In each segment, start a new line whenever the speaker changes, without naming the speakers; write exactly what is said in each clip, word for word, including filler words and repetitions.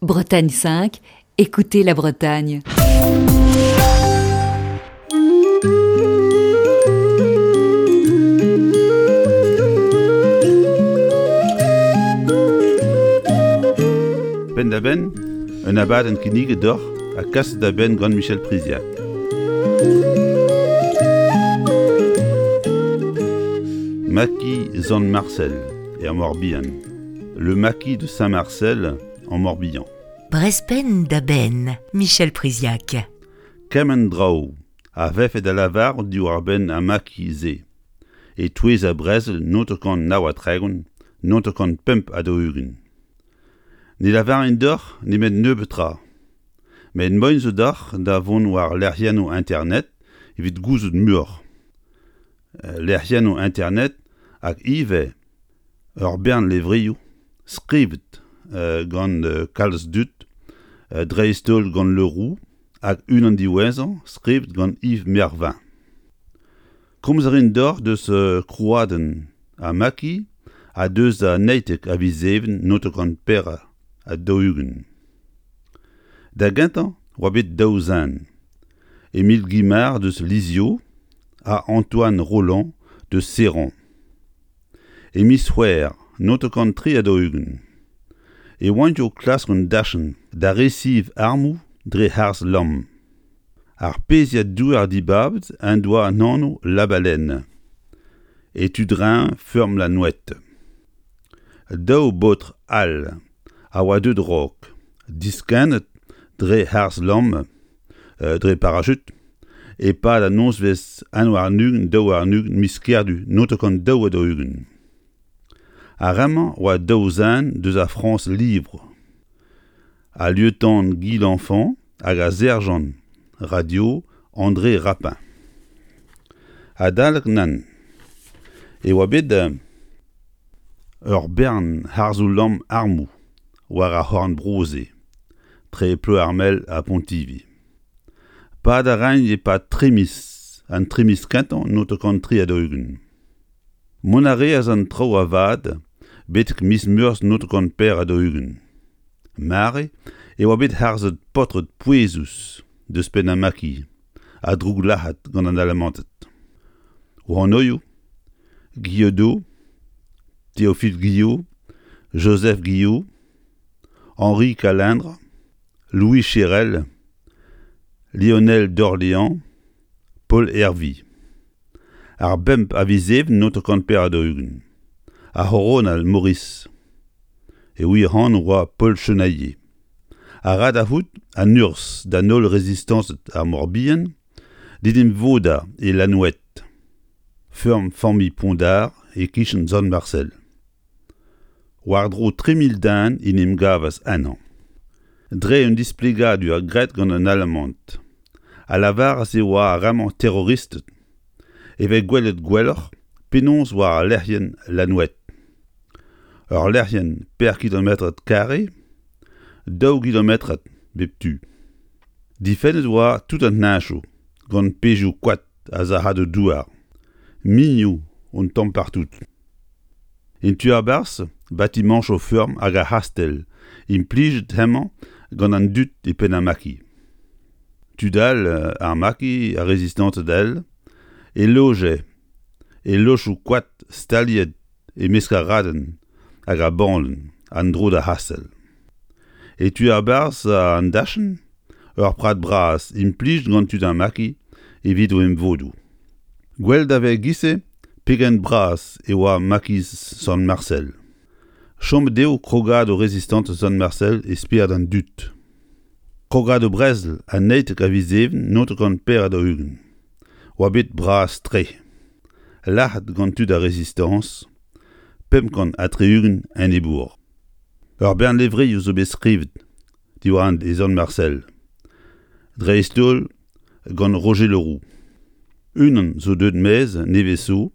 Bretagne cinq, écoutez la Bretagne.
Penn-da-benn, un abadenn kinniget deoc'h ha kaset da benn gant Michel Priziac. Maquis Sant-Marcel er Morbihan. Le maquis de Saint-Marcel en Morbihan.
Brezpenn da benn, Michel Priziac.
Kement draoù a vefe da lavarout diwar-benn ar maquis-se. E-touez ar brezel naontek nav ha tregont, naontek pemp ha daou-ugent. Ne lavarin deoc'h nemet nebeut tra. Met moaien zo deoc'h da vont war lec'hiennoù internet evit gouzout muioc'h. Lec'hiennoù internet hag ivez ur bern levrioù skrivet gant kalz dud, dreist-holl gant Le Roux hag unan diwezhañ skrivet gant Yves Mervin. Komz a rin deoc'h deus krouadenn ar maquis ha deus an naontek a viz Even naontek pevar ha daou-ugent. Da gentañ oa bet daou zen, Émile Guimard deus Lizio ha Antoine Rolland deus Serran. E miz C'hwevrer naontek tri ha daou-ugent e oant o klask un dachenn da resev armoù dre harz-lamm. Ar pezhiad douar dibabet en doa an anv La Baleine, e tu-dreñv feurm La Nouette. Daou baotr all a oa deuet raok, diskennet dre harz-lamm, dre parachut, e-pad an nozvezh un warn-ugent daou warn-ugent miz Kerdu naontek daou ha daou-ugent. Ar re-mañ oa daou zen deus ar Frañs Livre, al lieutenant Guy Lenfant hag ar serjant radio André Rapin. Adalek nann e oa bet ur bern harzoù-lamm armoù war ar c'horn-bro-se, tre Ploermel ha Pontivy. Pad a raint e-pad tri miz, an tri miz kentañ naontek tri ha daou-ugent. Mont a reas an traoù avat betek miz Meurzh naontek pevar ha daou-ugent. Mare e oa bet harzet paotred pouezus deus penn ar maquis ha drouglac'hat gant an Alamanted. O anvioù, Guillaudot, Théophile Guillot, Joseph Guillot, Henri Calindre, Louis Chérel, Lionel d'Orléans, Paul Hervy. Ar bemp a viz Even naontek pevar ha daou-ugent. Ar c'horonal Maurice. E wir anv oa Paul Chenailler. A ra da c'hoût an urzh d'an holl rezistañsed ar Morbihan d'en em vodañ e Lanouette. Feurm familh Pondard e-kichen Sant-Marcel. War-dro tri mil den en em gavas ennañ. Dre un displegadur graet gant an Alamant, a lavaras e oa ar re-mañ terroristed, e vez gwelet gwelloc'h penaos war al lec'hienn Lanouette. Ur lec'hienn per kilometrad karrez, daou gilometrad bep tu. Difennet oa tout an heñchoù gant pezhioù koad ha sac'hadoù douar, minioù un tamm partout. En tu a-barzh, batimañchoù feurm hag ar c'hastell implijet hemañ gant an dud e penn ar maquis. Tud all ar maquis, ar rezistañsed all, e loje e lochoù koad staliet e-mesk ar raden hag ar bandenn an dro d'ar c'hastell. E tu a-barzh an dachenn, ur prad bras implijet gant tud ar maquis evit o emvodoù. Gwell da vez e-giz-se pegen bras e oa maquis Sant-Marcel. Chomet eo krogadoù rezistañs Sant-Marcel e spered an dud. Krogadoù brezel an naontek a viz Even naontek pevar ha daou-ugent. Oa bet bras-tre. Lac'het gant tud ar rezistañs, pemp kant ha tri-ugent enebour. Ur bern levrioù zo bet skrivet diwar e Sant-Marcel. Dreist-holl gant Roger Le Roux. Unan zo deuet maez nevez zo,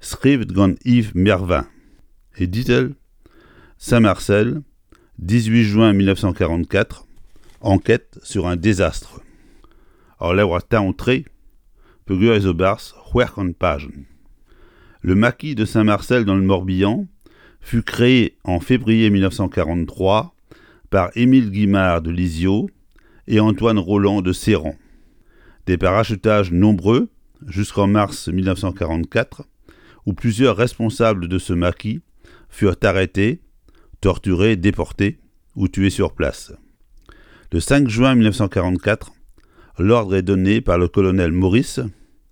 skrivet gant Yves Mervin. E ditl Saint-Marcel, dix-huit juin mille neuf cent quarante-quatre, enquête sur un désastre. Ur levr taon-tre, peogwir ez zo barzh c'hwec'h kant pajenn. Le maquis de Saint-Marcel dans le Morbihan fut créé en février mille neuf cent quarante-trois par Émile Guimard de Lizio et Antoine Roland de Séran. Des parachutages nombreux jusqu'en mars mille neuf cent quarante-quatre, où plusieurs responsables de ce maquis furent arrêtés, torturés, déportés ou tués sur place. Le cinq juin mille neuf cent quarante-quatre, l'ordre est donné par le colonel Maurice,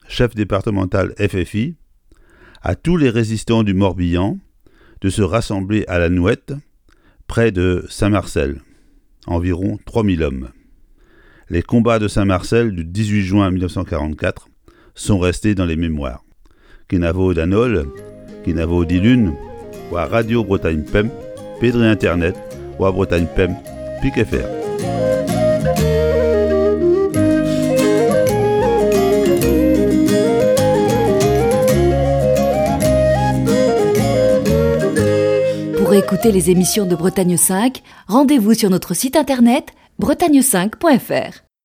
chef départemental F F I, à tous les résistants du Morbihan de se rassembler à la Nouette, près de Saint-Marcel, environ trois mille hommes. Les combats de Saint-Marcel du dix-huit juin mille neuf cent quarante-quatre sont restés dans les mémoires. Kenavo d'Anol, Kenavo d'Ilune, ou à Radio Bretagne Pemp, Pédré Internet, ou à Bretagne Pemp, Pic F R.
Pour écouter les émissions de Bretagne cinq, rendez-vous sur notre site internet bretagne cinq point F R.